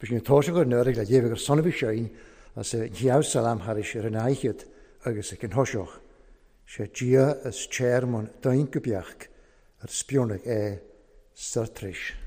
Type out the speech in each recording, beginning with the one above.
Bhí sin toiseach ar nuair le dhéibh gur sonbhí sein as a gheabh salam thairis ar an aichead agus ag an thoiseach. Sé Dia is téarmann dain go beach ar spionach é sartris.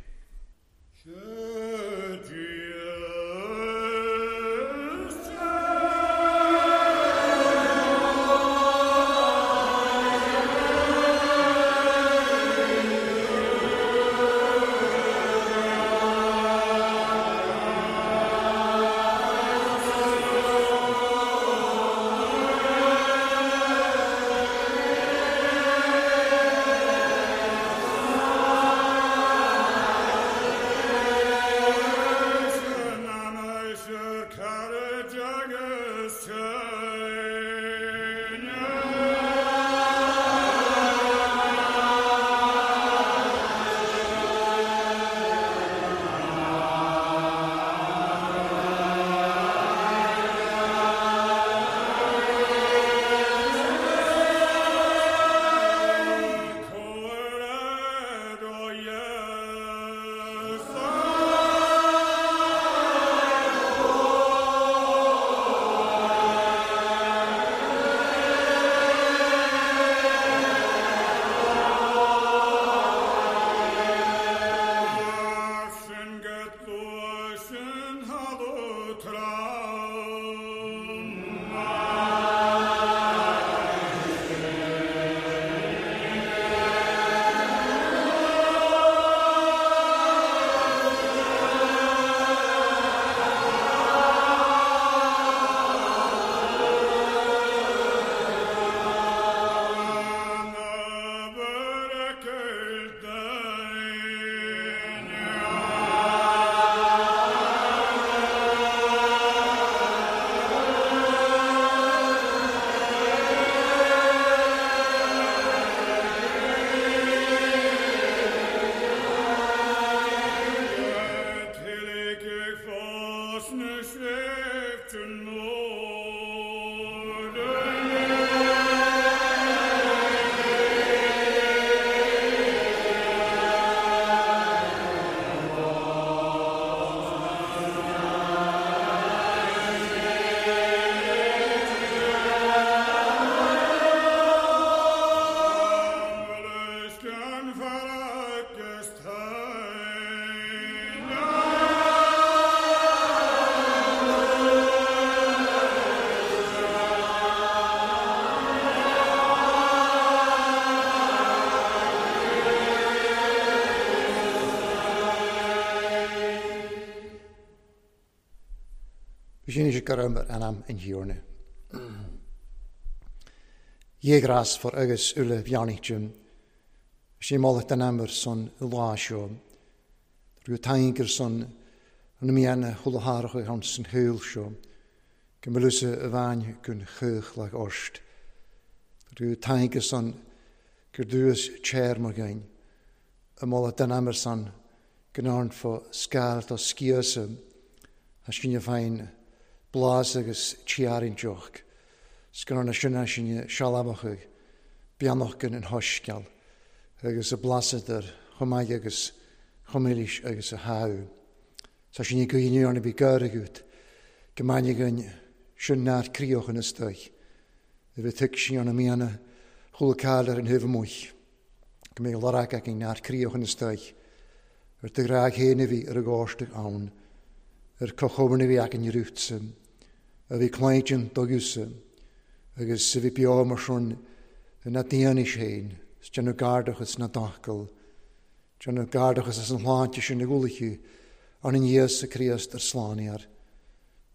Sin is go an am in hiorne. Jégras for agus ule bheannichtjum. Sin mála den amar son lá seo. Rú taingur son an mianna chulathárach han san thuil seo. Go mlusa a bhain gun chuch le orst. Rú taingur son gur dúas tséir mar gain. A mála den amar son gnáin fo scail tá sciasa a sinne féin blas agus tiarin joch. Sgynna sinna sinne sealamachach beannach gan an hoisceal agus a blasad ar chomaig agus chomilís agus a háú. Sa sinne goine anna bhí gaireút go maine gan sin náir críoch an istoich. A bhí tuig sin anna mianna chula cáil ar an thuh muich. Go mé larach ag an náir críoch an istoich. Ar de graag héna bhí ar a gáisteach ann, ar cochóna bhí ag an rútsa, a bhí cláintinn dogúsa, agus a bhí beo mar sin na daoine féin, is déanamh gardachas na dacail, déanamh gardachas as an shláinte sin na gúlaithe, an in Íosa Críost ar sláinear.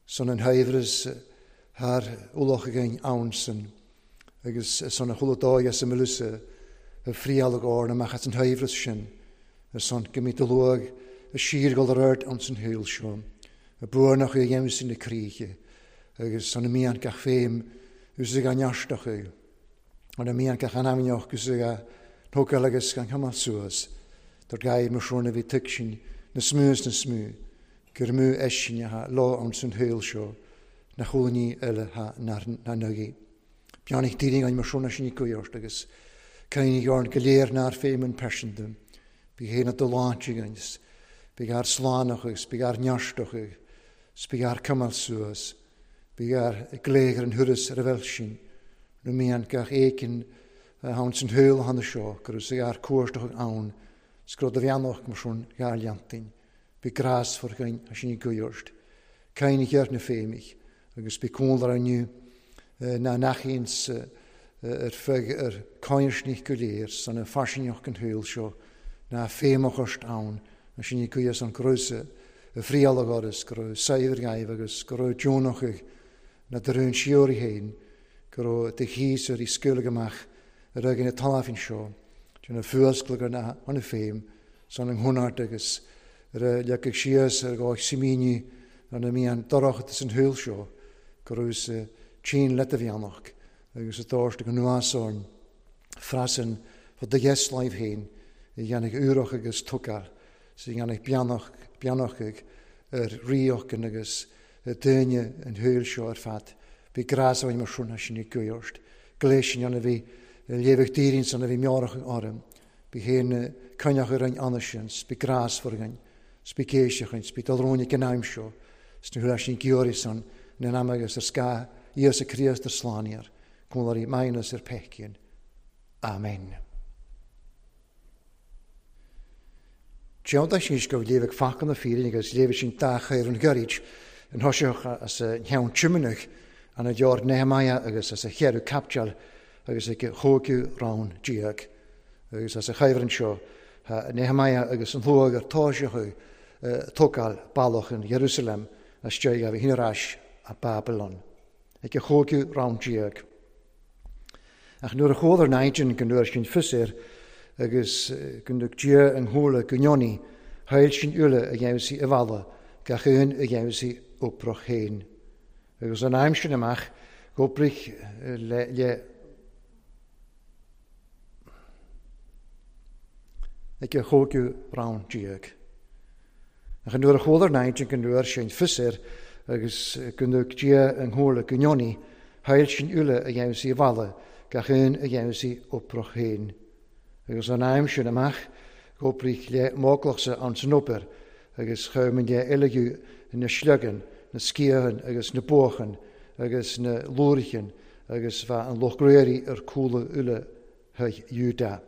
Son an haimhreas thar ualach againn ann san, agus son a chula dóigh as a mlusa a friáil ag amach as an haimhreas sin, ar son go mí de luag a síorgol ar ard an san thuil seo, a buarnach a dhéanamh sin na críche, agus son a mian gach féim ús ag an neasteach an a mian gach anamneach gus ag a tógáil agus gan chamal suas, Tar gair mar seo a bhí tuig sin na smú is na smú, gur mú eisin a lá an san thuil seo, na chulaní eile ha na nugaí. Beannacht daoine an mar seo sin i gcuirt agus cain ghearn go léir nár féim an peisindum. Bhí héna do láinte agus Bí ár slánach agus bí ár neartach agus bí ár cumail suas. Bí ár glaoch ar an thuras ar a bhfuil sin. Nó mian gach éigin ann san shaol cheana seo go raibh sé ár cuartach ann 's go raibh do bheannacht mar sin dhá leantain. Bí grásmhar againn as sin i gcuirt. Cain cheart na féimidh agus bí cúnla inniu ná n-achaíonns ar feadh ar cáinsnich go léir san a fairsingeach an shaol seo ná féimeachast ann as sin i gcuirt an go raibh a phriail agus go raibh saibhir gaibh agus go raibh deonach na de rún síoraí féin go raibh de chíos ar í scaoileadh amach ar aghaidh na talmhan seo de na fuasclacha na an féim san an hionart agus ar a leagfadh síos ar dhá simíní ar na mian dorchadas an shaol seo go raibh sa tSín le do bheannacht agus a dtabhairt go nuas orainn freasan fá do dheasláimh féin a dhéanfaidh úrach agus tucal 's a dhéanfaidh beannach beannachaidh ar ríochtain agus daoine an shaoil seo ar fad. Bhí grás againn mar sin as sin i gcuirt. Gléas sin ann a bhí léamhadh daoirín san a bhí meabhrach orm. Bí féin coinneach orainn ansin, 's bí grásmhar againn, 's bí céiseach againn, 's bí dul romhainn ag an am seo, 's na huirlisí giorraí san in am agus ar scáth Íosa Críost ar slánaíor, cúnláirí maighneas ar peicín. Amen. Déanta síos go léifeadh focal na fírinne agus léifeadh sin dá chaor an gairid an thoiseach as a cheann tiomnach an a deor Nehemiah agus as a cheathrú caipiteal agus ag a chúigiú rann déag. Agus as a chuibhreann seo Nehemiah agus an shlua gur toiseach tógáil bealach in Jerusalem as deireadh a bhí ar ais a Babylon. Ag a chúigiú rann déag. Ach nuair a chuala ar naimhdean go ndúirt sin fios air agus go ndug Dia an shúile go ndeonaí, chaill sin uile a dheimhsigh i bhfalla, gach aon a dheimhsigh oprach féin. Agus an aim sin amach, dh'oibrigh le le ag a chúigiú rann déag. Ach nuair a chuala ar naimhdean go ndúirt sin fios air agus go ndug Dia an shúile go ndeonaí, chaill sin uile a dheimhsigh i bhfalla, gach aon a dheimhsigh oprach féin. Agus an aim sin amach, dh'oibrigh le m'óglachsa ann san obair, agus chuir mé le uileadh na sliogann, na sciathan agus na buachan agus na lúrichan agus bheadh an lucht graoraí ar cúla uile chuig Iúdá.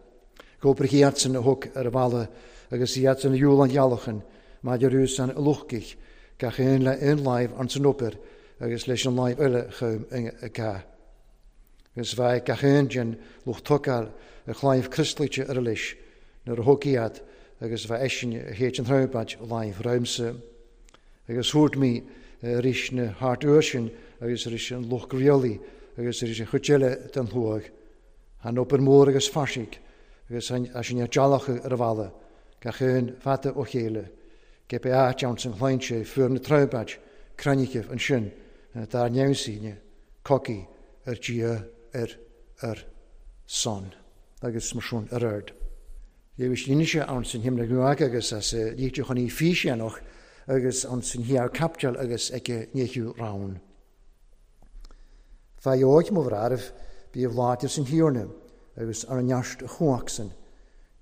Dh'oibrigh iadsan a thug ar a bhalla agus iadsan a dhiúl an ghealachan maidir riú san luchtaigh, gach aon le aon láimh ann san obair agus leis an láimh eile chugam i gcath. Agus bheadh gach aon den lucht tógáil a chlaíomh crioslaíte ar a leis nuair a thug iad agus bheadh eisean a théid an throimpéid láimh romhamsa. Agus thabhairt mé arís na hairt uair sin agus arís an lucht rialaí agus arís an chuid eile den shlua. An obair mór agus fairsinge agus as sin ar dealach ar a bhalla, gach aon fada ó chéile. Cé bith áit ann san shláinte fuair na troimpéid crainnigh ansin dár neamhsíne cogaidh ar Dhia ar ar son agus mar sin ar aird. Léirigh Innse ann san Himna Nuadh agus as Litir chun í físeanach agus ann san Thiar Caipiteal agus ag a ndeichiú rann. Faigheoidh mo bhráithre, bíodh láidir san Thiarna agus ar an neart a chumhacht-san.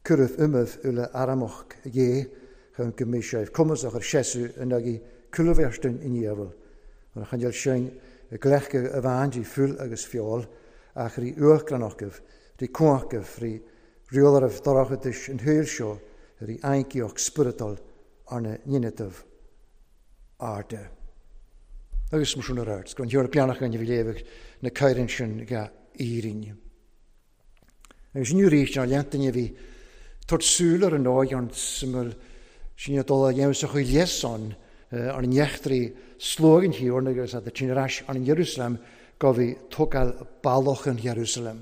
Cuireadh umaimh uile Aramach Dhé chun go mbeidh sibh cumasach ar seasamh in aghaidh cúlbheartain an diabhail. Mar a choinneáil sin i gcleachtadh a bhean di fuil agus feoil, ach rí uachtaránachtaibh, rí cumhachtaibh, rí rialaireibh dorchadais an shaoil seo, rí aincíocht spioradal arna ndéanamh airde. Agus mar sin ar aird, go an thiarna beannach againn a bhí léamh na cairn sin ga Éirinn. Agus inniu arís, ar lean duine a bhí tabhairt súil ar an dóigh an suimiúil sin a dul a dhéanamh sa chaoi leis-san ar an eachtraí sluaigh an Thiarna agus a tinn ar ais ar an Iarúsailéim go bhí tógáil bealach an Iarúsailéim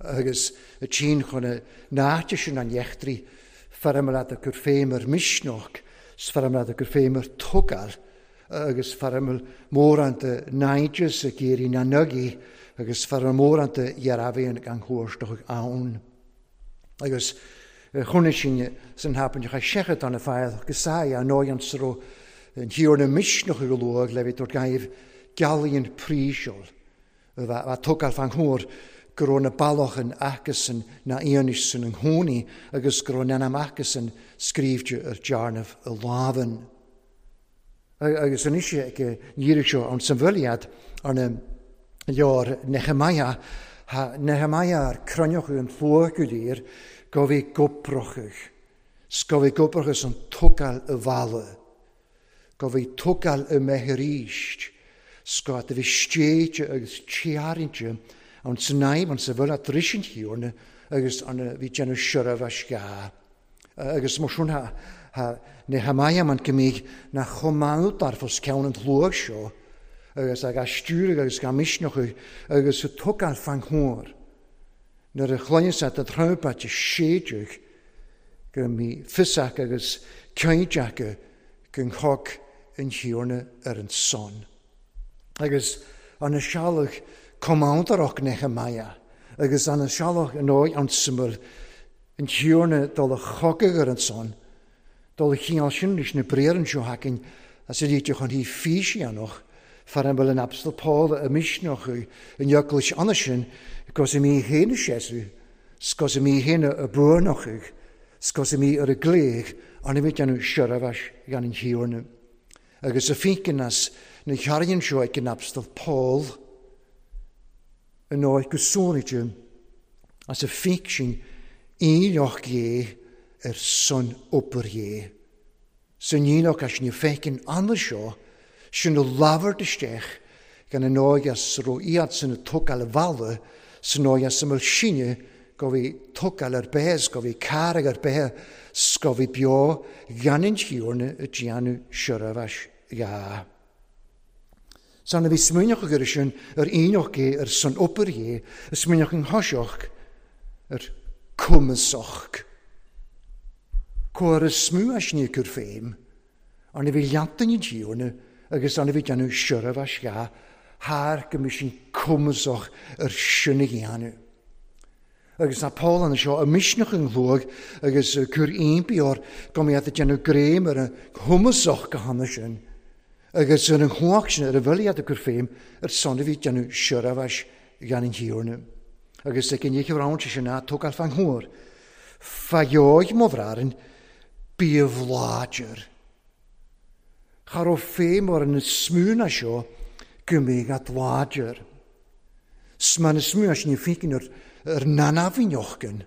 agus a tinn chun a n-áite sin an eachtraí feirmeála a cur féim ar misneach 's feirmeála a cur féim ar tógáil agus feirmeáil mórán de naimhdeas ag iarraidh na n-agaí agus feirmeáil mórán de dhearbhaíonn gan chuartach ann. Agus chonaic sin san thapainn cha seachadán na feadh go saigh a ndóigh an sro an thiarna misneach go luath le bheith tabhairt gaibh gealaíonn príseol a bheith tógáil fan chóir go raibh na ballochan acusan na fhianaise san i ngcónaí agus go raibh an ainm acusan scríobhte ar dearnamh a lámhann. Agus anois ag an iarraidh seo ann san bhfuil arna leabhar Nehemiah, ha Nehemiah ar cruinneochadh an tslua go léir go bhí goprochadh, 's go bhí goprochadh san tógáil a bhalla, go bhí tógáil a mbeith arís, 's go do bhí stéite agus tearrainte ann san aidhm ann sa bhfuil a dris an Thiarna agus arna bhí déanamh seirbheis gha. Agus mar sin ha Nehemiah man go mbíodh na chomh maith dar fos ceann an tslua seo agus ag stiúradh agus ga misneachadh agus a tógáil fan chóir. Nuair a chluineann siad a trúmpait a séideadh go mbí fios acu agus cinnte acu go ngabhadh an Thiarna ar an son. Agus an sealach commandaireach Nehemiah agus an sealach an óigh an sumul an Thiarna dul a chogadh ar an son, dul a chineál sin leis na briathra seo againn as a líte chun hí físeanach far an bhfuil an Abstal Paul a misneach in eaglais anna sin gos i mí héana sesu, scos i mí héana a buanach, scos i mí ar a gléig an bhí déanamh seirbheis gan an Thiarna. Agus a fícin as na chearraíonn seo ag an Abstal Paul an áit go sónaite as a fíc sin íleach dhé ar son obair dhé. San íleach as na feiceann anna seo sin a labhairt isteach gan an áigheas ro iad san a tógáil a bhalla san áigheas a mbeadh sinne go bhí tógáil ar bith go bhí carraig ar bith 's go bhí beo gan an Tiarna a déanamh seirbheis gha. San a bhí smaoineach air sin ar aoinneach é ar son obair dhé, a smaoineach an thoiseach ar cumasach. Comhair a smú as ní cur féim, an a bhí leantain an Tiarna agus an a bhí déanamh seirbheis gha, thar go mbí sin cumasach ar sin a dhéanamh. Agus tá Paul ann seo a misneach an ghlóig agus cur impí or go mbeadh ag déanamh greim ar an chumasach go hana sin. Agus ar an chumhacht sin ar a bhfuil iad ag cur féim ar son a bhí déanamh seirbheis gan an Thiarna. Agus ag an oíche roimhe sin ná tógáil fan thuar. Faigheoidh mo bhraran bíodh láidir. Cha raibh féim ar an smúna seo go mbeidh at láidir. Sma na smúna sin fícin ar nanafinochgan,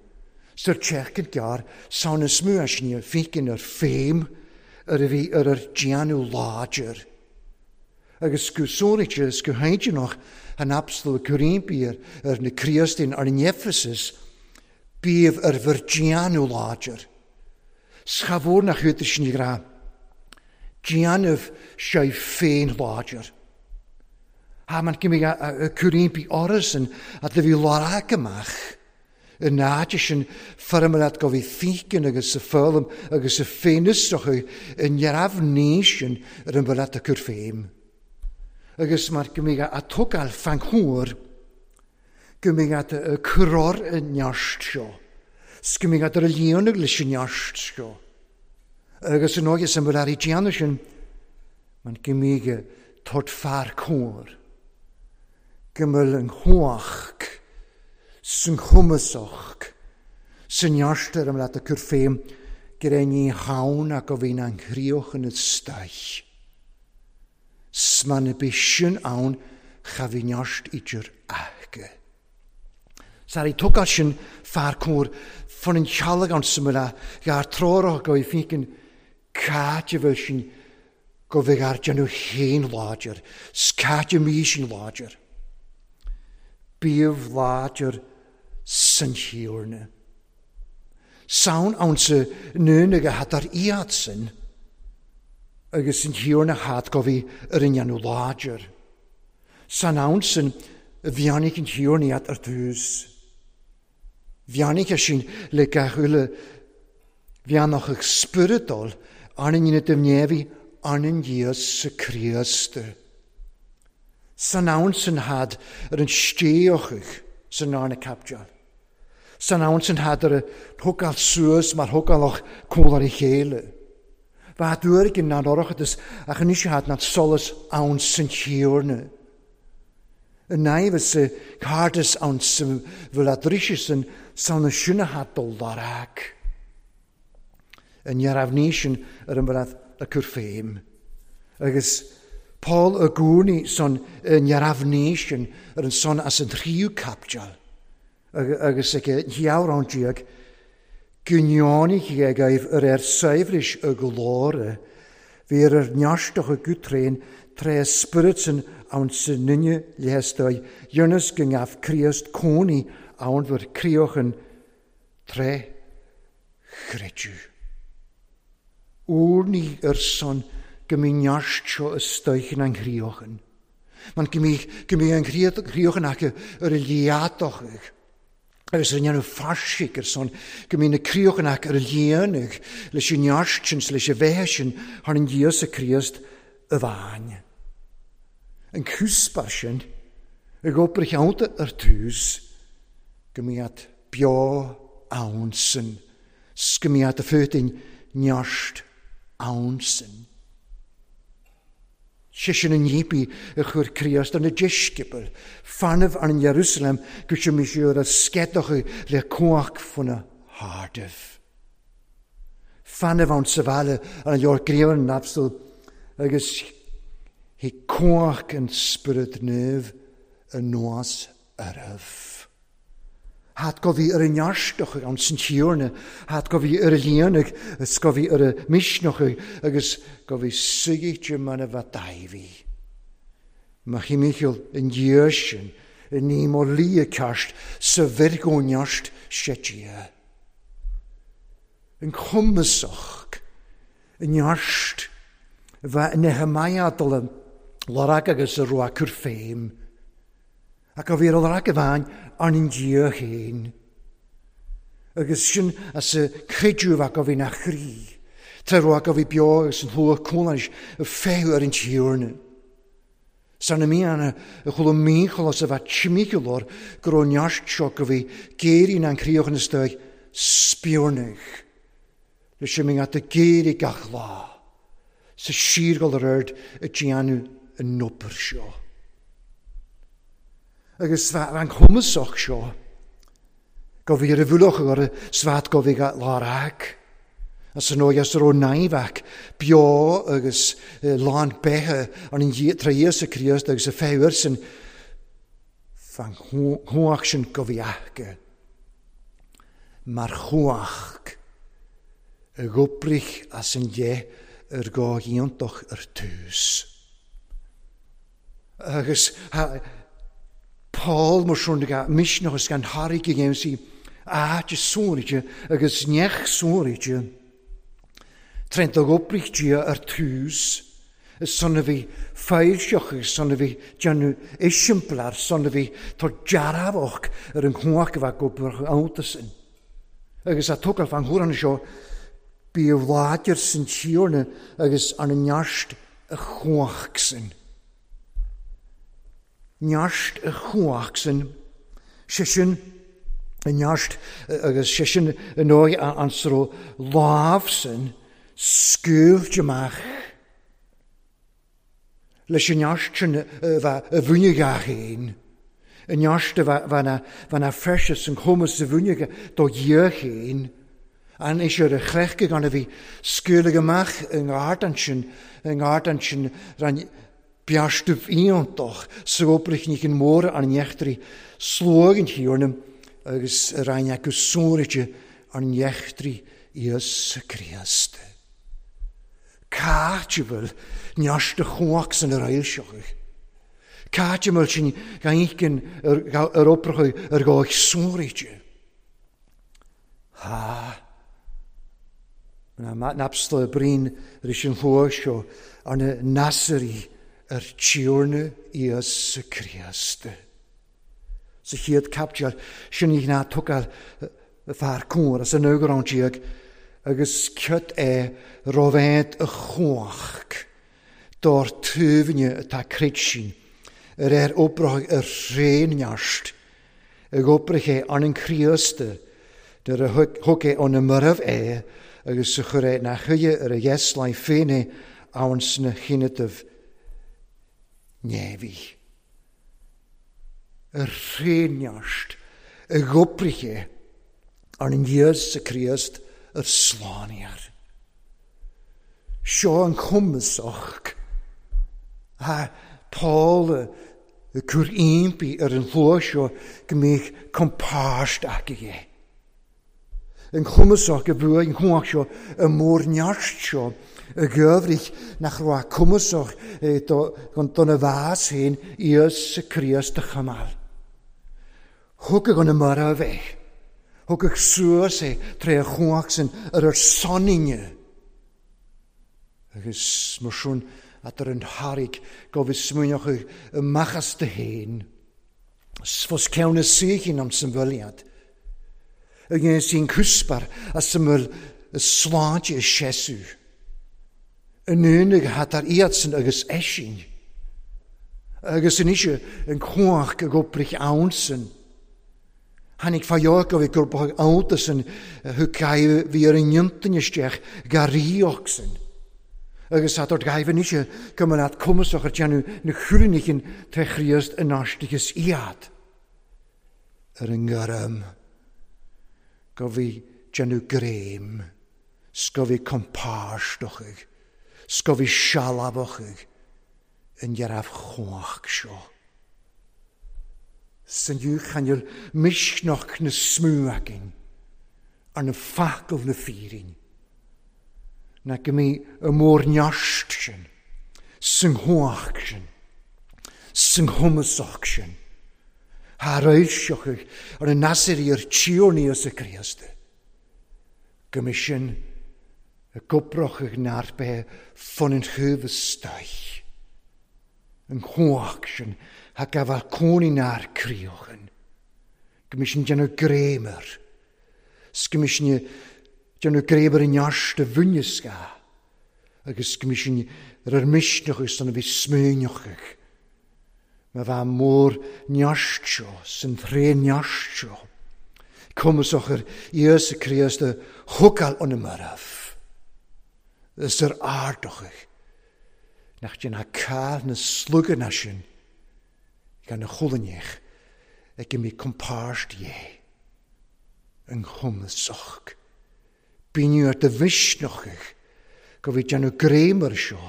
sir tseachcan gearr, sa na smúna sin fícin ar féim ar a bhí ar ar déanamh láidir. Agus go sóraite is go hainteanach an apstal Corimpi ar na Críostain ar an Ephesus, bíomh ar bhur déanamh láidir. Schabhór nach chuid sin gra. Déanamh sé féin láidir. Ha man cimí a Corimpi orasan a do bhí lár amach. Yn áit sin feirmead go bhí fícin agus sa fólam agus sa féinusach yn neamh nísin ar an bhfuil a cur féim. Agus mar go mbeidh a tógáil fan chóir, go mbeidh a curár an neart seo. 'S go mbeidh ar a líonadh leis an neart seo. Agus an óige san bhfuil ar déanamh sin, man go mbeidh tort fear cóir. Go mbeidh an chumhacht san chumasach san neart ar an leat a cur féim gur é ní haon ach go bhíonn an chríoch ina staich. Sman a bí sin ann cha bhí neart idir aige. Sari tógáil sin fear cóir fan an chealg an sa a gar treorach go bhí fícin cáit a bhfuil sin go bhí ar déanamh féin láidir, 's cáit a mí sin láidir. Bíomh láidir san Thiarna. Saon ann sa nún ag a had ar iad sin, agus an Thiarna had go bhí ar an dhéanamh láidir. San ann sin bheannaigh an Thiarna iad ar dtús. Bheannaigh sin le gach uile bheannach ag spioradal arna ndéanamh de neamhaí arna Íosa Críost. San ann san had ar an stéochadh san arna capteáil. San ann san had ar a thógáil suas mar thógálach cólar a chéile. Bha dúirt in ná orachadus ach anois had ná solas ann san Thiarna. An naimheas sa cairdeas ann sa bhfuil a dtríse san na sinatha dul lorg. An neamhní sin ar an bhfuil a cur féim. Agus Paul y gúrnaí san neamhní sin ar an son as an tríú caipteal. Agus ag ghearrán déag, gneánaigh agaibh ar ar saibhris a glóire, bhí ar ar neartach a gutréin tré spiorad ann sa ninne leathstáil, ionas go ngabh Críost cónaí ann bhur críochan tré chreideamh. Úrnaí ar son go mbí neart seo istoich an chríochan. Man go mbí go mbí an chríochan acu ar a liadach agus ar ndéanamh fairsigh ar son go mbí na críochan acu ar a líonadh leis an neart sin leis an bheatha sin thar an Íosa Críost a bhain. An cúspar sin ag obair cheannta ar tús go mbí beo ann sin, go mbí a fútain neart ann sin. Sé sin an nípi a chuir Críost ar na deisceabail, fanamh ar an Jerusalem go sé mí ar a scedacha le cuach faoina hardamh. Fanamh ann sa bhaile ar an leor gríomhan napstal agus hí cuach an Spiorad Naomh anuas oraibh. Hat go bhí ar an neartach an san tíorna, hat go bhí ar a líonach, is go bhí ar a misneach agus go bhí suigíte man a bheith daibhí. Ma chimicheall an dhiaidh sin, i ní mo lia ceart sa bhirgóineacht setia. An cumasach, an neart, bheith Nehemiah dul lorg agus a rua cur féim. Ac a bhí ar lorg a bhain ar an Dia féin. Agus sin as a creidiúmh ac a bhí na chroí. Tá rua a bhí beo agus an shlua cúlais a féadh ar an tíorna. San na míonna a chuala mícholas a bheith timícealóir go raibh neart seo go bhí géirín an críochan isteach spiornach. Le sin mé at a géirí gach lá. Sa síorgol ar aird a déanamh an obair seo. Agus an cumasach seo, go bhí ar a bhulach ar svat go bhí lár ag. As an óige as raibh naimheach beo agus lán beithe an tra Íosa Críost agus a féith sin fan chuach sin go bhí aige. Mar chuach a ghobrich as an dhe ar go iontach ar tús. Agus Paul mar sin go misneach agus gan thairg a dhéanamh sí áit sónaide agus neach sónaide. Trent a ghobrich Dia ar tús, is son a bhí foilseach agus son a bhí déanamh isimplar, son a bhí tá dearfach ar an chuach a bheith gobrach iontas sin. Agus a tugadh fan thuarann seo, bí láidir san tíorna agus an neart a chuach sin. Neart a chuach sin, sé sin an neart agus sé sin an óige an sro lámh sin scaoilte amach. Leis an neart sin a bheith a bhunaigh féin. An neart a bheith na freisis an chumas a bhunaigh do Dhia féin. An is ar a chleachta gan a bhí scaoileadh amach i ngard sin, i ngard sin ran bearstubh iontach sa obair ní an mór an neachtarí sluag an thiarna agus rain acu sóraide an neachtarí Íosa Críost. Cáit a bhfuil neart a chuach san ar ailseach. Cáit a bhfuil sin gaincean ar obair ar gáich sóraide. Ha. Na napsla brín ris an shlua seo ar na Nasairí ar tíorna Íosa Críost. Sa chéad caipteal sin í ná tugáil fear cóir as an ógrán déag agus cead é robhéad a chuach dár tuaimhne atá creid sin ar ar obair ar thréan-neart ag obair é an an Críost nuair a thug é óna marbh é agus a chuir é na chuige ar a dheasláin féin é ann sna chinneadh neamhaí. Ar thréneart a dh'oibrighe arna nÍosa Críost ar slánaíocht. Seo an cumasach atá Paul ag cur impí ar an shlua seo go mbeadh compáirt acu dhe. An cumasach a bhuaigh an chumhacht seo i mórneart seo i gcuibhrich nach raibh cumasach dona bhás féin Íosa Críost a choimeáil. Thugadh an marbh é. Thugadh suas é tré a chumhacht san ar ár soninne. Agus mar sin atar an thairg go bhfios smaoineochaidh amach as do fhéin. 'S fos ceann na saoithín am san bhfuil iad. A dhéanfas an cuspair as a bhfuil a sláinte a seasamh. An aonaigh atar iadsan agus eisin. Agus anois an chumhacht ag oibrigh ansan. Tháinig fadhb go bhí gur ba iontas an thug gaibh bhí ar an intinn isteach garraíocht san. Agus tá ort gaibh anois go mba leat cumasach ar déanamh na chúrainichin tré Chríost in aisteachas iad ar an ngairm go bhí déanamh greim 's go bhí compáirt 's go bhí sealbhach in dhearbh chumhacht seo. San chan fhuil misneach na smú againn ar na facail na fírinne, ná go mbí an mórneart sin, san chumhacht sin, san chumasach sin, thar fhoilseochaidh ar an Nasarí ar Tiarna Íosa Críost, go mbí sin i gcobrachadh nár bheith fun an chuimh istoich. An chumhacht sin ha gabháil cónaí nár críochan, go mbí sin déanamh greim air, 's go mbí sin déanamh greim ar an neart a bhuaineas ga, agus go mbí sin ar ar misneach agus san a bhí smaoineochaidh. Má bheith mór neart seo, san tréan neart seo, cumasach ar Íosa Críost a thugáil ón marbh, is ar ardochaidh, nach déanadh cáil na sluganna sin gan a chulainneach ag go mbí compáirt dhé, an chumasach. Bíonn ar do mhisneachaidh go bhí déanamh greim ar seo,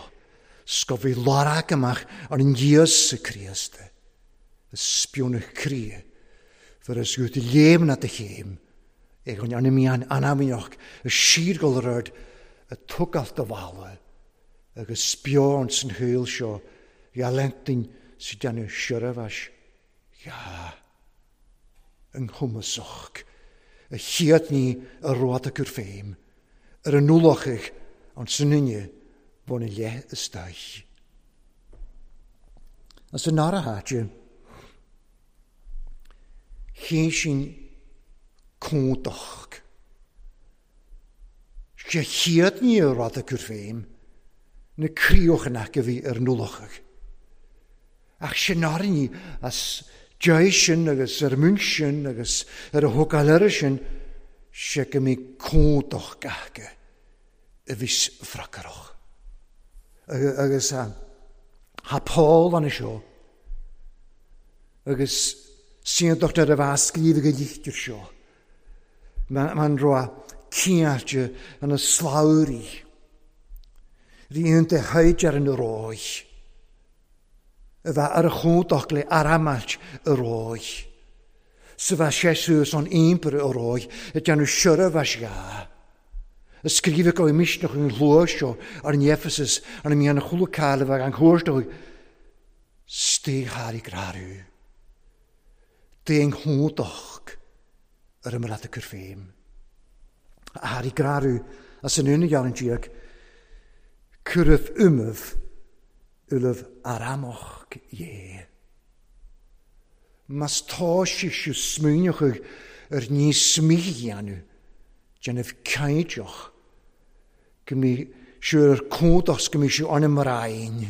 's go bhí lorg amach ar an Íosa Críost, a spionadh croí, for is gut léim na do chéim, ag an anamian anamíoch a síorgol ar ard a tugáil do bhalla, agus spion san shaol seo, gha lentin sa déanamh siormhais, gha an chumasach, a chéad ní a rud acu féin, ar an ualachaidh an san bhun a leith istoich. As an nara háite, chéin sin cúntach. Sé chéad ní a rud acu féin, na críochanna a bhí ar an ualachaidh. Ach sin ní as deis sin agus ar mún sin agus ar a thugáil air sin, sé go mbí cúntach acu a bhí fracarach. Agus ha Paul an seo, agus síontacht ar a bheith scríobh go lichtir seo, man roa ciáilte an na slabhraí, ríonta thaid ar an róich, a bheith ar a chúntach le aramailt a róich, sa bheith séasús an ímpar a róich, a déanamh sior a bheith ga. A scríobh go misneach an shlua seo ar an Ephesus ar an mian chula cáil a bheith an chuairteoidh, stigh thar i grarú. Déan chúntach ar an mbealach cur féin. Thar i grarú as an úna ghearrann diaidh, cuireadh umamh ulamh aramach dhé. Mas tá sé siú smaoineochaidh ar níos mídhéanamh, déanamh cainteach, go mbí siú ar cúntach go mbí siú an mrainn,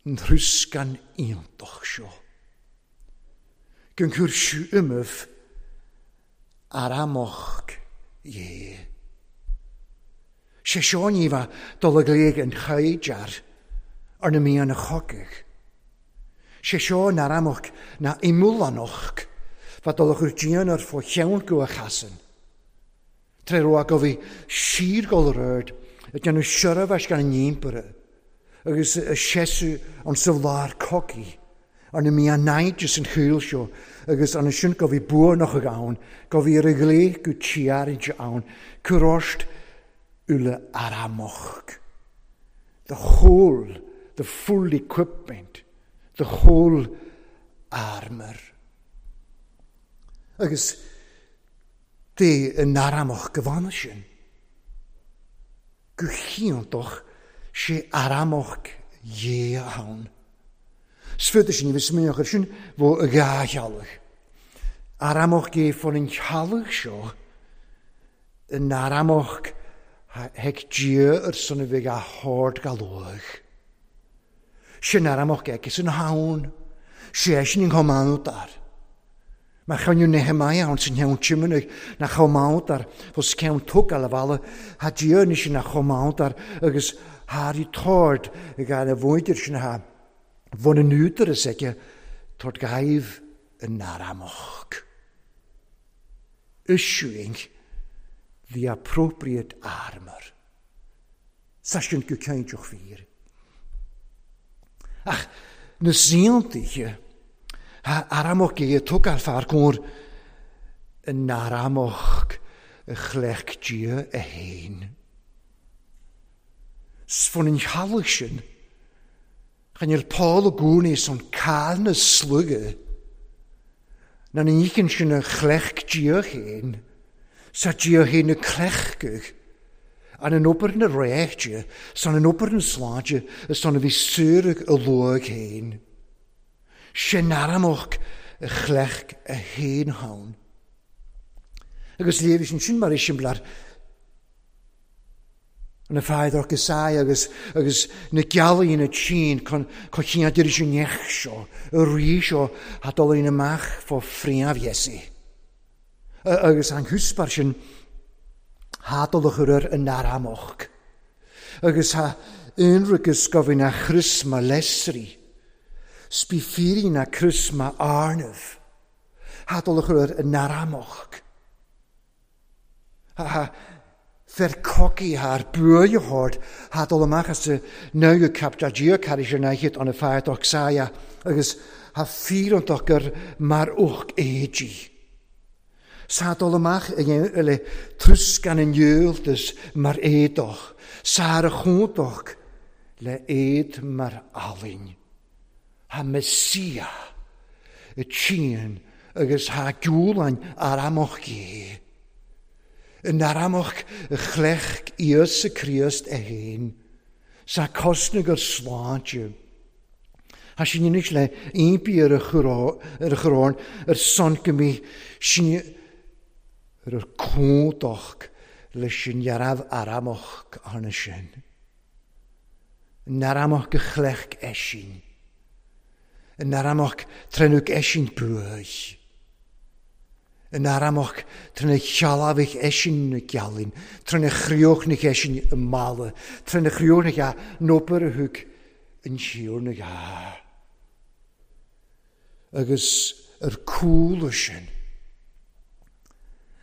an thrúscan iontach seo. Gon cur siú umamh aramach dhé. Sé seo ní bheith dul ag léig an chaighdear ar na míonna chogaidh. Sé seo an Aramach ná imeallánach, fad dul a chur dian ar fo cheann go a chasann. Tré raibh go bhí síorghol ar aird ag déanamh seirbheis gan an Impire agus a seasamh ann sa lár cogaidh arna mbí a naimhdeas san shaol seo agus arna sin go bhí buanach ann, go bhí ar a ghlaoch go tíaraide ann, cur ort uile Aramach. The whole, the full equipment, the whole armour. Agus dé in Aramach go bhfana sin. Go hiontach sé Aramach Dhé ann. 'S féidir sin a bheith smaoineach ar sin bhó a dhá theallach. Aramach Dé fón an teallach seo in Aramach thig Dia ar son a bheith á hord galóidh. Sin Aramach aici san ann. Sé sin an chomh maith dar. Mar choinneadh Nehemiah ann san cheann Tiomanaigh nach chomh maith dar fós ceann tugtha le bhalla tha Dia anois ina chomh maith dar agus thar i tord ag a mhuintir sin tha bhun an údaras aige tord gaibh in Aramach. Issuing the appropriate armour. Sa sin go cinnteach fíor. Ach na saontaithe, ha Aramach é a tógáil fear cóir in Aramach a chleacht Dia a fhéin. 'S fón an theallach sin, chan fheil Paul i gcónaí son cáil na sluaighe, ná na nícheann sin a chleacht Dia féin, sa Dia féin a cleachtadh, an in obair na réichte, san in obair na sláinte, is san a bhí saoradh a luaidh féin. Sin Aramach a chleacht a fhéin ann. Agus léirigh sin sin mar eiseamláir Na Feadóg is ea agus agus na gealaí na tSín chun chun deireadh sin neach seo, a rí seo a dul in amach fá phríomh Iesu. Agus an húsbar sin thá dul a chur ar an Aramach. Agus thá aonraic go bhí na chrios ma lesrí. 'S bí fírí na crios ma arnaimh. Thá dul a chur ar an Aramach. Ha, fer cogaidh thar buaidh hord ha dul amach as a naugadh cap da Dia carraig ar naichead an a fear saia agus ha fíoranntach gur mar uch éidí. Sa dul amach ag le truscan an iúltas mar éadach, sa ar a chúntach le éad mar alainn. Ha Messia y tîn agus ha giúlainn ar amach gé. Yn aramach y chlech Iesu Criost e héin, sa cosnag ar sláinte. Ha sin anois le impí ar a chorón ar son go mí sin ar ar cúntach leis an dhearabh aramach arna sin. Yn aramach go chlech eisin. Yn aramach trenwg eisin buaich. Yn aramach tren y chealafich eisin na gealin, tren y chrioch na eisin y mala, tren y chrioch na ga nobar a thug yn siwr na ga. Agus yr cŵl sin.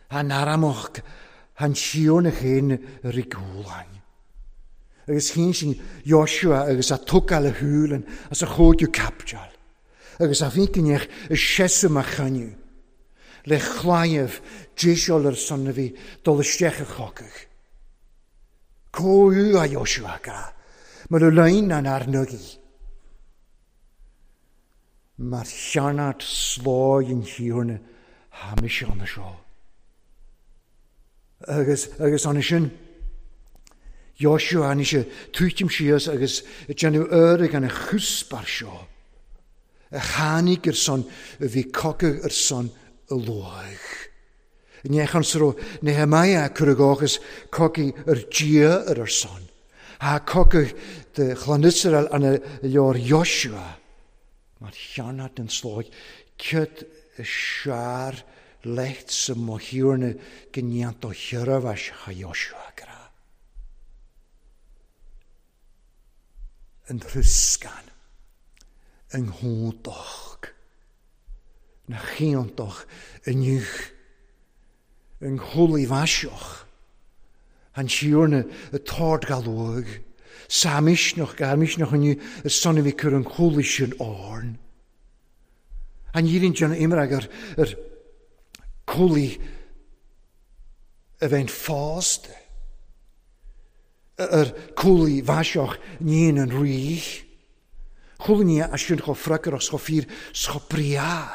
Han aramach han siwr na chéin yr i gŵlain. Agus hín sin Joshua agus a tugal a húlan as a chóidiú capjal. Agus a fíncinneach y sesu ma chaniw. Le chlaimh déiseáil ar son a bhí dul isteach a chocach. Cóú a Joshua ga, mar a lein an ar nugaí. Mar chearnat slóigh an thiarna ha mise anna seo. Agus, agus anna sin, Joshua anna sé tuitim síos agus déanamh air gan a chuspar seo. A tháinig ar son a bhí cogadh ar son a luaigh. Ní an sro Nehemiah cur a gáchas cogaidh ar Dia ar ar son. Ha cogadh de chlann Israel an a leor Joshua. Mar chearnat den slóigh cad a sear lecht sa mothiúrna go ndéanta thiarbhais ha Joshua gra. An truscan. Yng nghwdach. Na chiantach inniu. Yng nghwli fasioch. Han siwrna y tord galwg. Sa misnoch gar misnoch inniu y son i fi cur yn chwli sy'n orn. Han yiryn dyn imrag yr, yr cwli y fe'n ffost. Yr cwli fasioch ni'n yn rwych. Chwli ni a sy'n cho ffragr os cho ffyr scho bria.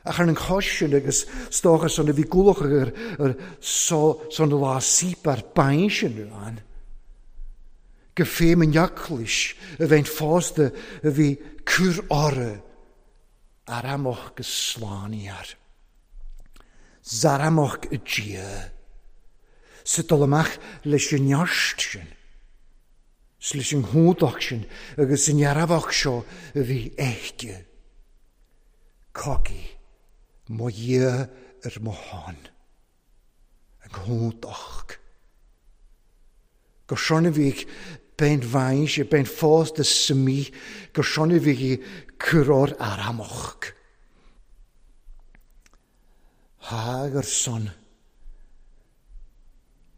Ach ar an chosin agus stochas an a bhí gúlach ar ar so son lá síp ar bain sin an. Go féim an eaclais a bheinn fásta a bhí cur orra ar amach go slánaíar. Zaramach y Dia. Sa dul amach leis an neart sin, 's leis an chumhdach sin agus an dhearfach seo a bhí aici. Cogaidh mo Dhia ar mo shon. An chumhdach. Gur shon a bhí bein bhain sé, bein fásta sa mí, gur shon a bhí cur or ar amach. Thag ar son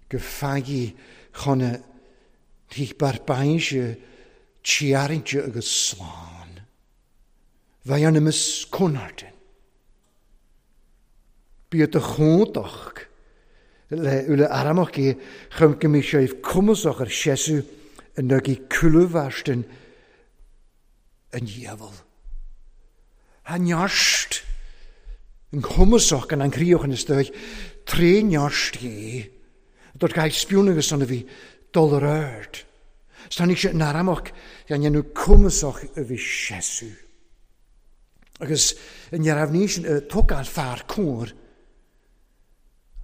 go faghaidh chun a thigh bar bainse tiarraingte agus slán. Bheidh an imeas conartin. Bíodh do chumhdach le uile aramach é chun go mbeidh sibh cumasach ar seasamh in aghaidh cúlabhairstin an diabhail. Tá neart an chumasach gan an chríoch ina stoigh tré neart é. Dúirt gach spiún agus san a bhí dul ar aird. 'S tháinig sé in aramach gan dhéanamh cumasach a bhí seasamh. Agus ní raibh ní sin tógáil fear cóir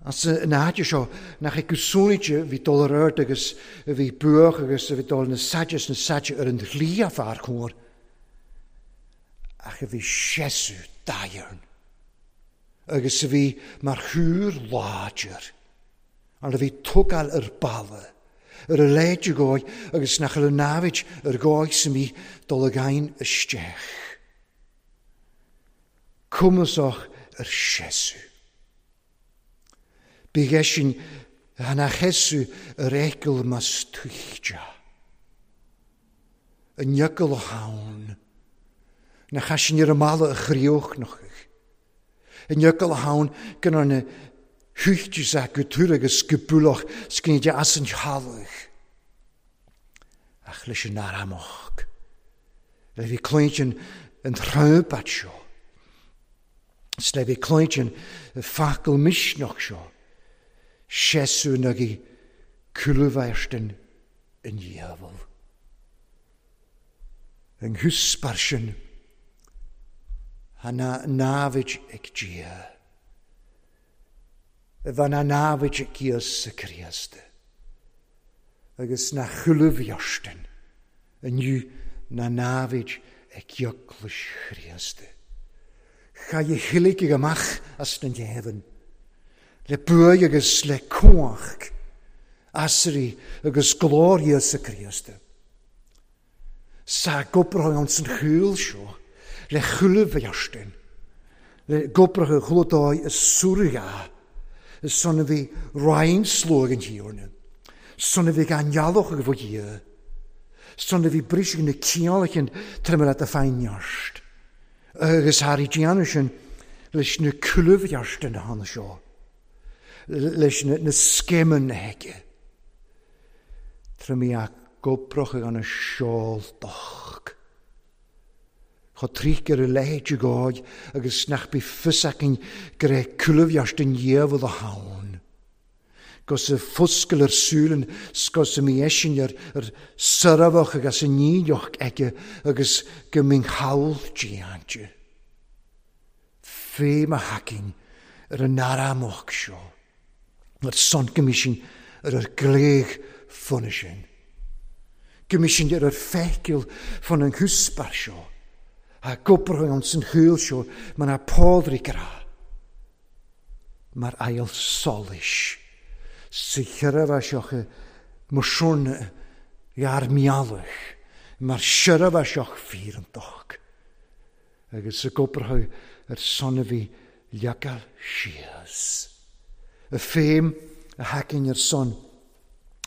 as an áit seo nach ag gusúnaite bhí dul ar aird agus a bhí buach agus a bhí dul na saide is na saide ar an dhlí a fear cóir ach a bhí seasamh daighearn agus a bhí mar thúr láidir arna bhí tógáil ar balla ar a leithéid de dhóigh agus nach raibh namhaid ar dhóigh sa mí dul againn isteach. Cumasach ar seasamh. Bíodh eisean ina sheasamh ar fheithicil más tuigteá. An fhiacail a thann. Nach ea sin ar an mballa a chríochnóchaidh. An fhiacail a thann go ndearna thuigtear é go tur agus go bualach 's go ndéanfaidh as an teallach. Ach leis an Aramach, le bhí cluainte an thrompet seo, 's le bhí cluainte an focal misneach seo, seasamh in aghaidh cúlabhairstin an diabhail. An húsbar sin, a namhaid ag Dia. A bheith ina namhaid ag Íosa Críost agus na chuile-bheartain inniu na namhaid ag Eaglais Chríost. Chaith a thuilleadh amach as na deamhain le buaidh agus le cumhacht asraí agus glóir Íosa Críost. Sa gcopair ann san chúl seo le chuile bheartain, le gcopair chlódáí is súrgha, is son a bhí roinnt sluaigh an Thiarna, son a bhí gan eallach ag Dhia, son a bhí briseadh na ciallachan trime leat a faighneart, agus thar i déanamh sin leis na chuile bheartain a thána seo, leis na scéimeanna aige. Trime Gobrach ag an seoltach. Chomh tríoch ar a leithéid de dhóigh agus nach bith fios againn go raibh cúlabheart an diabhal a ann. Gus a foscail ar súil 's gus a mbí eisean ar ar soirbheach agus a níneach aige agus go mbíonn thall déanta. Fé mo thacainn ar an aramach seo. Ar son go mbí sinn ar ar gcléig fona sin. Go mbí sinn ar ar feithicil fon an chuspair seo. A gobrach ann san shaol seo mar ná Pádraig a rá. Mar aill solais sa cheithre seo mo shorna ghearr meallach. Mar seirbhíseach fíreantach agus ag obair ar son a bhí leagtha síos. Y ffeim a haicinn ar son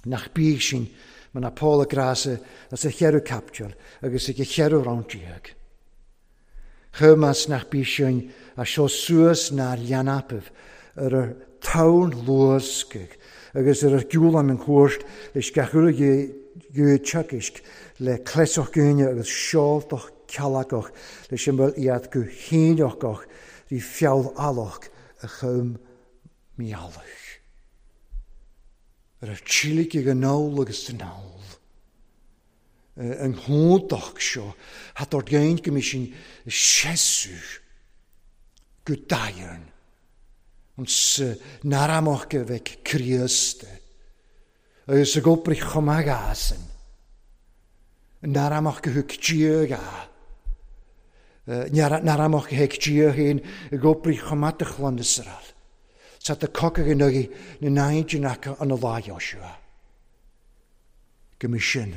nach bídh sin mar ná Paul ag rá sa as a cheathrú caipiteal agus ag a cheathrú rann déag. Chumas nach bí sin a seo suas nár leanapaibh ar ar tonn luascaigh agus ar ar gciúlan an chuairt leis gach uile ghiúid teagaisc le cleasach gúine agus seoltach ceallacach leis an bhfuil iad go híneachach rí feall alach a chum meallach. Ar ar tílig ag an ól agus san ól. An húntach seo, hat ort géint go sin seasú go daighean. Ons naramach go bheith Críost agus ag obair chomh maith asan. Naramach go thug Dia ga. Naramach go thug Dia féin ag obair chomh maith do chlann Iosrael. Sa tá cogadh in aghaidh na n-aigéan acu an lá Joshua. Go mbeidh sin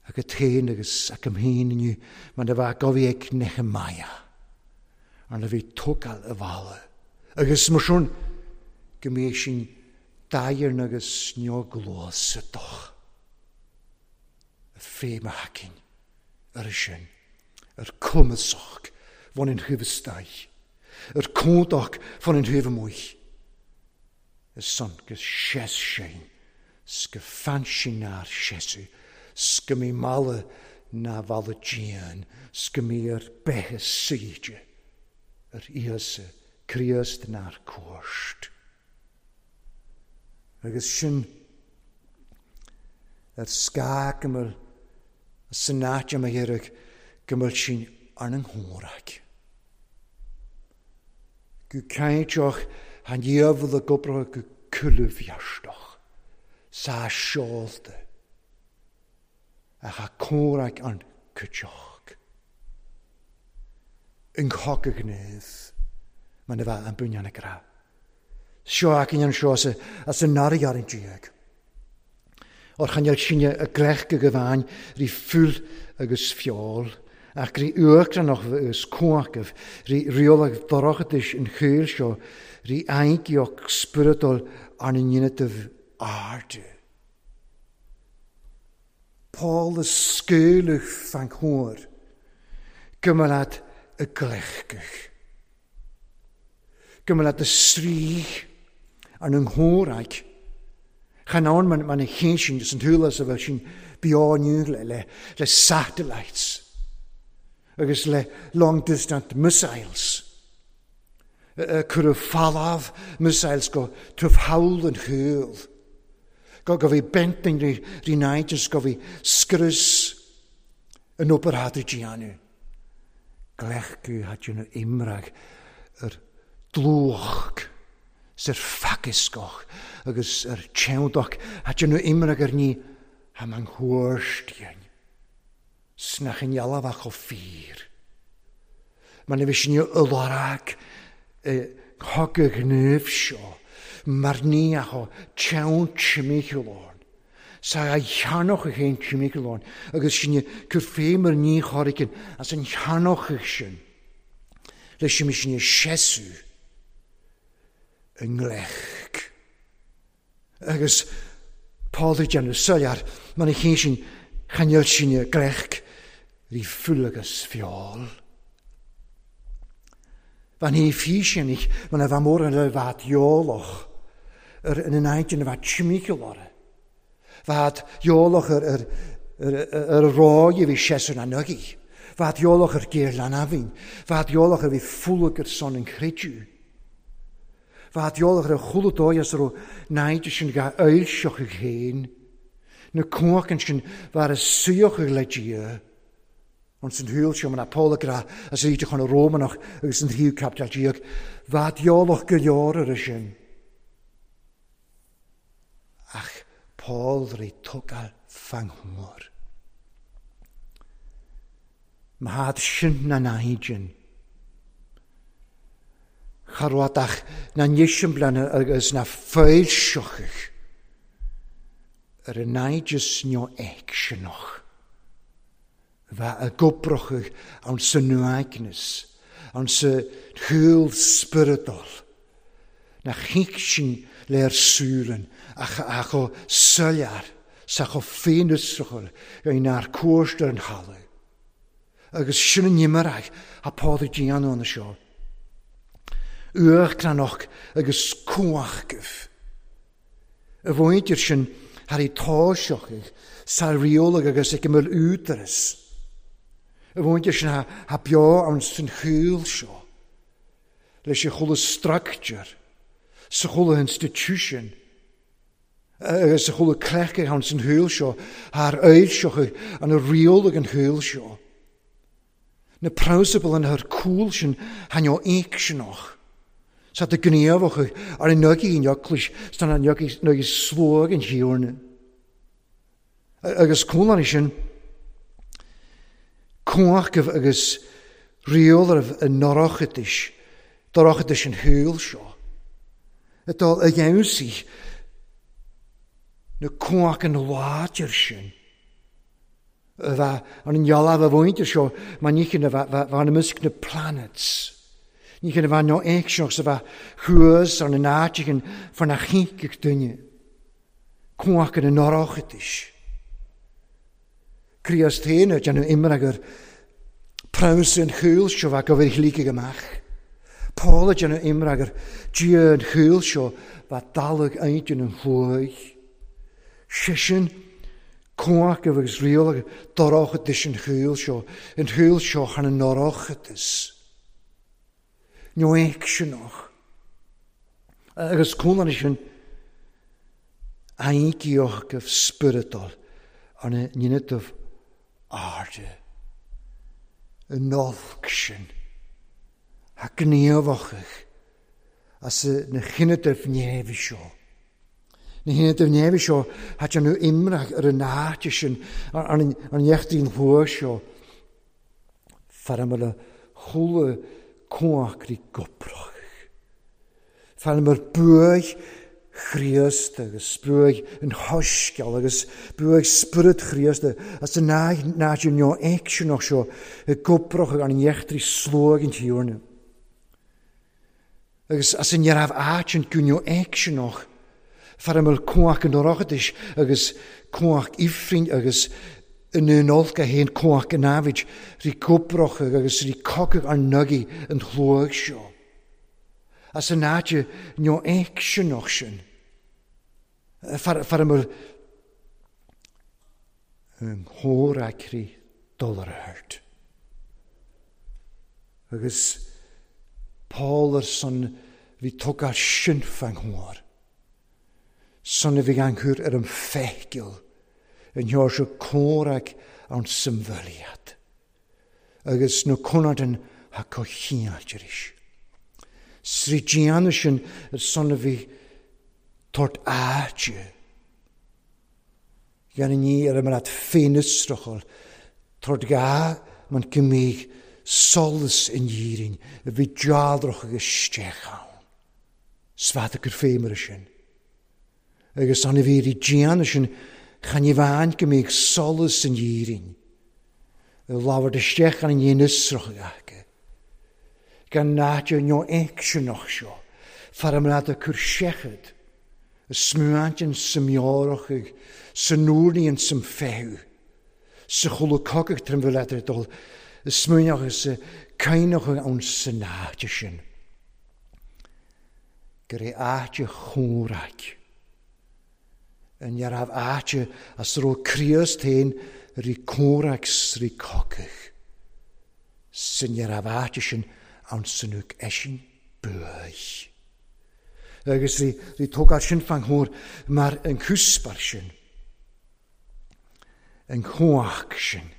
agat féin agus agam féin inniu mar a bheadh gobhaí ag Nehemiah arna bhí tógáil a bhalla. Agus mar sin go mbeidh sin daighean agus neoghluasadach féim a thacainn ar sin, ar cumasach bhain an thaobh istoigh, ar cumhdach bhain an thaobh amuigh. Is son go seas sin, 's go fan sin nár seasadh, 's go mbí mala ná bhalla dian, 's go mbí ar beithe suíte ar Íosa Críost nár cuairt. Agus sin ar scáth go bhfuil san áit a mbeidh go bhfuil sin ar an ngórac. Go cainteach an diabhal ag obair go cúlbheartach sa seolta ach a comhrac an cuiteach. An cogadh gnéas mar a bheadh an buinneán ag rá. Seo againn anseo as an nara dhéag. Or chan eil sinne a gleich go gabháin rí fuil agus feoil, ach rí uachtaránach agus cumhachtaibh, rí rialach dorchadais an shaoil seo, rí aingeach spioradúil arna ndéanamh airde. Paul a scaoileadh fan chóir, go mba leat a gleichgeadh. Go mba leat a sraoth arna ngóraigh. Chan ann man man a chéin sin is an tsúil a bheith sin beo inniu le le le satellites agus le long distance missiles. Cuireadh falamh missiles go tubh thall an chúil. Go go bhí bent rí rí náitis go bhí scrios an obair thad déanamh. Glechgu had na imrag ar dlúch 's ar faciscoch agus ar teandach had na imrag ar ní ha man thuairstíonn. 'S nach in ealbhach ó fíor. Man a bhí sin ularag chogadh gníomh seo, mar ní ach ó teann timcheallán. Sa a cheannach a chéin timcheallán agus sin cur féim ar ní choricin as an cheannach sin. Leis sin sin seasú i ngleic. Agus Paul ag déanamh soiléir mar a chéin sin chainneal sin gleic rí fuil agus feoil. Van hí físinich man a bheith mór an le bheith eolach ar in an áit ina bheith timcheall orthu. Bheith eolach ar ar ar ar ráig a bhí seasúr an nugaí. Bheith eolach ar géar leanamhain. Bheith eolach ar bhí fulag ar son an chreidiú. Bheith eolach ar a chúla dóigh as raibh náid sin ga oilseach ag féin. Na cumhachtan sin bheith a suíoch le Dia. Ons an thuil seo man Paul ag rá as íde chun a Rómanach agus an tríú caipiteal déag. Bheith eolach go leor ar sin. Ach Paul rí tógáil fanghmór. Má sin na náidin. Charwadach na nísimblan agus na foilseochach ar an náidis neo aicseanach. Bheith ag oibreochaidh ann san uaigneas, ann sa shaol spioradal, nach thig sin le ar súileann ach a chomh soiléir 's a chomh féinfhiosrachúil inár cuairt ar an thalamh. Agus sin an iomaireacht a Pádraig déanamh ann seo. Uachtaránach agus cumhachtaibh. A mhuintir sin thar í toiseachaidh sa rialaigh agus ag a mbeadh údaras. A mhuintir sin tha beo ann san shaol seo leis an chuile structure, sa chuile institution agus sa chuile cleachtadh ann san shaol seo thar fhoilseochaidh an rialaigh an shaol seo. Na prionsabail an thar cúl sin thaitneodh éicseanach. Sa do gníomhach ar an nugaí in eaglais sna nugaí sluag an Thiarna. Agus cúlánaí sin cumhachtaibh agus rialáibh i ndorchadais, dorchadais an shaoil seo, atá a fheabhsaigh na cumhachtanna láidir sin. A bheith ar an ngealach a mhuintir seo mar ní chin a bheith i measc na planets. Ní chin a bheith nó éigseach sa bheith thuas ar na n-áiteachan fá na chinnfeadh duine. Cumhacht na n-oireachtais. Críost féin ag déanamh imreagar prabhas an chúil seo bheith go bhfuil shlí amach. Paul ag déanamh imreagar Dia an chúil seo bheith dalladh intinn an chuaigh. Seisean Cumhacht agus riail dorchadas an shaoil seo, an shaol seo thar na ndorchadas. Nó aicseanach. Agus cúlanna sin aontaíoch spioradal arna ndéanamh airde. An olc sin, a gníomhachadh as na chinneadh neimhe seo. Na hionadaibh neimhe seo thá déanamh imreach ar an áit sin, ar an neachtín thuaidh seo. Fear mar a chuala cumhachtaí goprach. Fear mar buaidh Chríost agus buaidh an Shoiscéal agus buaidh Spiorad Chríost as an áit neo aicseanach seo i gcoprach ar an neachtaí sluaigh an Tiarna. Agus as an raibh áit an gúneo aicseanach, fear a mbeadh cumhacht an Oireachtais agus cumhacht Ifrinn agus i nDún Olc a haon cumhacht an namhaid rí gobrach agus rí cogadh ar nugaí an shluaigh seo. As an áit neo aicseanach sin, fear a mbeadh an chomhfhreagraí dul ar a hurt. Agus Paul ar son bhí tugtha sin fan thuar. Son a bhí gan cur ar an feithicil an sheoirse comhrac an symfyliad. Agus na conadan ha cochiáilt arís. Srí déanamh sin ar son a bhí tort áite. Gan ní ar a mbeadh féinfhiosrachal, tabhairt gá man go mbeadh solas in Éirinn a bhí dealrach agus isteach ann. 'S fada gur féimire sin. Agus an a bhí rí déanamh sin chan ní bhean go mbeadh solas in Éirinn a labhairt isteach an fhéinfhiosrachadh acu. Gan áit nó aicseanach seo, fear a mbeadh ag cur seichead a smuainteann sa meabhrachaidh, sa nuairníonn sam feitheamh, sa chuala cogadh trim bhfuil eadar dul a smaoineochadh is a caoineochadh ann san áit sin. Gur é áit a chomhraic. An raibh áit as a raibh Críost féin rí comhraic 's rí cogadh. San raibh áit sin ann san uaigh eisin buaidh. Agus rí tógáil sin fan chóir mar an cúspar sin, an chumhacht sin,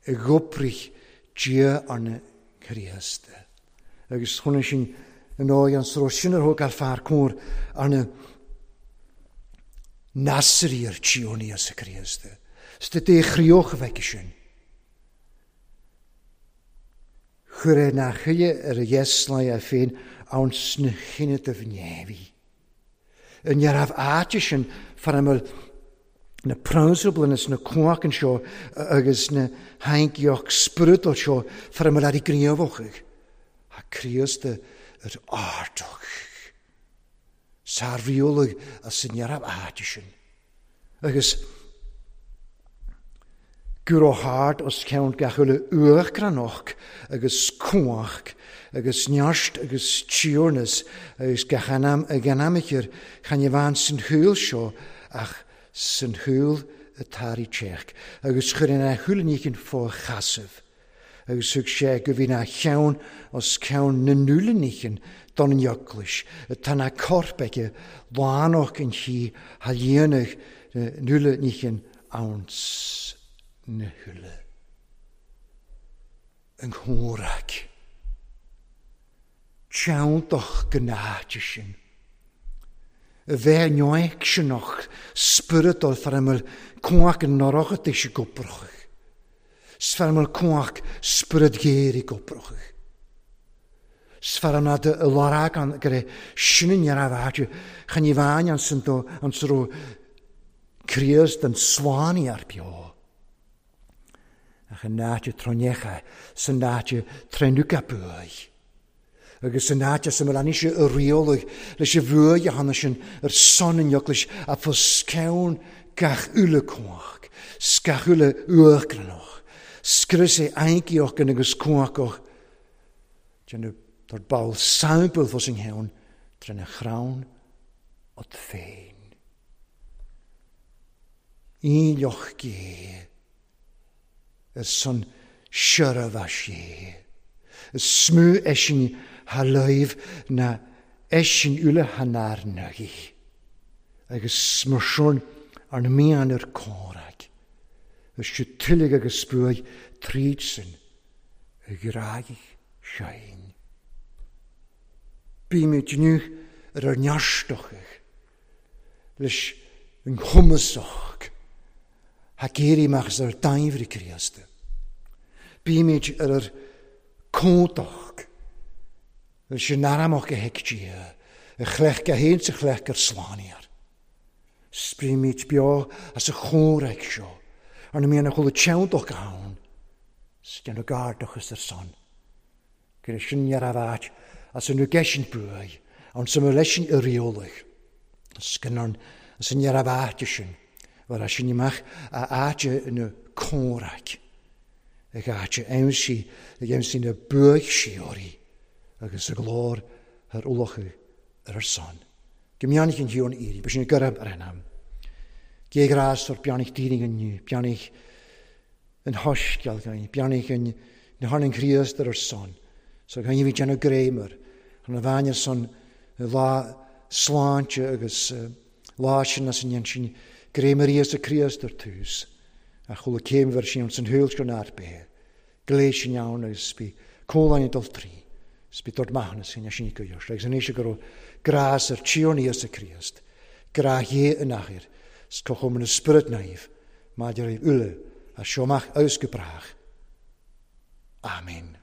i gcoprich Dia arna Chríosta. Agus chonaic sin an dóigh an sruth sin ar thógáil fear cóir arna Nasrí ar Tíón Íosa Críosta. 'S do dé chríoch a bheidh sin. Chuir é nach chuile ar a dheasláigh é féin ann sna chinneadh neimhidh. I ndearbh áite sin fara mbeadh Na prionsabail is na cumhachtann seo agus na haingeacht spioradal seo fara mbeadh leat gníomhach. Tá Críost ar ardach. Sár-rialaigh as an neamh áite sin. Agus go raibh thart os cionn gach uile uachtaránach agus cumhacht agus neart agus tiarnas agus gach anam ag anamchar chan amháin san shaol seo ach san shúil atá rí teach, agus chuir ina shúil níochan fá sheasamh, agus thug sé go bhí 'na cheann os cionn na ndúile níochan don eaglais, atá 'na corp aige lánach an chí tha líonadh na ndúile níochan anns na húile. An chomhrac. Teanntach go n-áite sin. A bheith neoicseanach spioradal far a mbeadh cumhacht an Oireachtais ag oibrigh. 'S far a mbeadh cumhacht Spiorad Ghéar ag oibrigh. 'S far a mbeadh i lorg an go raibh sin an neamh áite chan ní bheinn ansan do ansa raibh Críost an slánaí beo. Ach an áit a tróineacha san áit a tréinuca buaidh. Agus san áit as a mbeadh ise a rialaigh leis an bhuaidh a thána sin ar son an eaglais a fos ceann gach uile cumhacht, 's gach uile uachtaránach, scrios é ainceoch agus cumhachach, déanamh dár ball sample fos an cheann trína chrann ut féin. Aoileach gé ar son seirbheas-sé. Is mó eisean tha láimh ná eisean uile tha nár ndóigh. Agus mar sin arna mian ar comhrac. Is siúd tuilleadh agus buaidh tríd sin a ghráigh sein. Bímid inniu ar ár nearstochadh leis an chumasach ag éirí amach as ár daimhre Críosta. Bímid ar ár cúntach leis an aramach a thuig Dia, a chleacht go haon sa chleacht gur slánaíor. Sprímid beo as a chomhrac seo, arna mbíonn a chuile teanntach ann, 's déanamh gairdachas ar son. Gur sin ní raibh áit as an gceisint buaidh ann sa mbeadh leisin i rialaigh. Scanrán as an ní raibh áit sin, bhar as sin amach a áit ina comhraic, ag áit a aimsí ag aimsí na buaidh síoraí agus a glór thar ualachadh ar ar son. Go mbeannaigh an Thiarna Éirí, ba sin gurab ar an am. Gé ghrás or beannaigh daoine inniu, beannaigh an shoiscéal againn, beannaigh an na tháinig Críost ar ár son, so againn a bhí déanamh greim air, chun a bhean ar son lá sláinte agus lá sin as an ndéan sin greim ar Íosa Críost ar tús, ach chuala céim bhur sin san shaol seo nár b'é, gléas sin ann agus bí comhláin ag dul trí, 's bí dord maithiúnas sin sin go dheois, agus anois go raibh grás ar Tiarna Íosa Críost, grá Dhé in athair, 's cothrom na Spiorad Naomh, maidir le uile as seo amach agus go brách. Amen.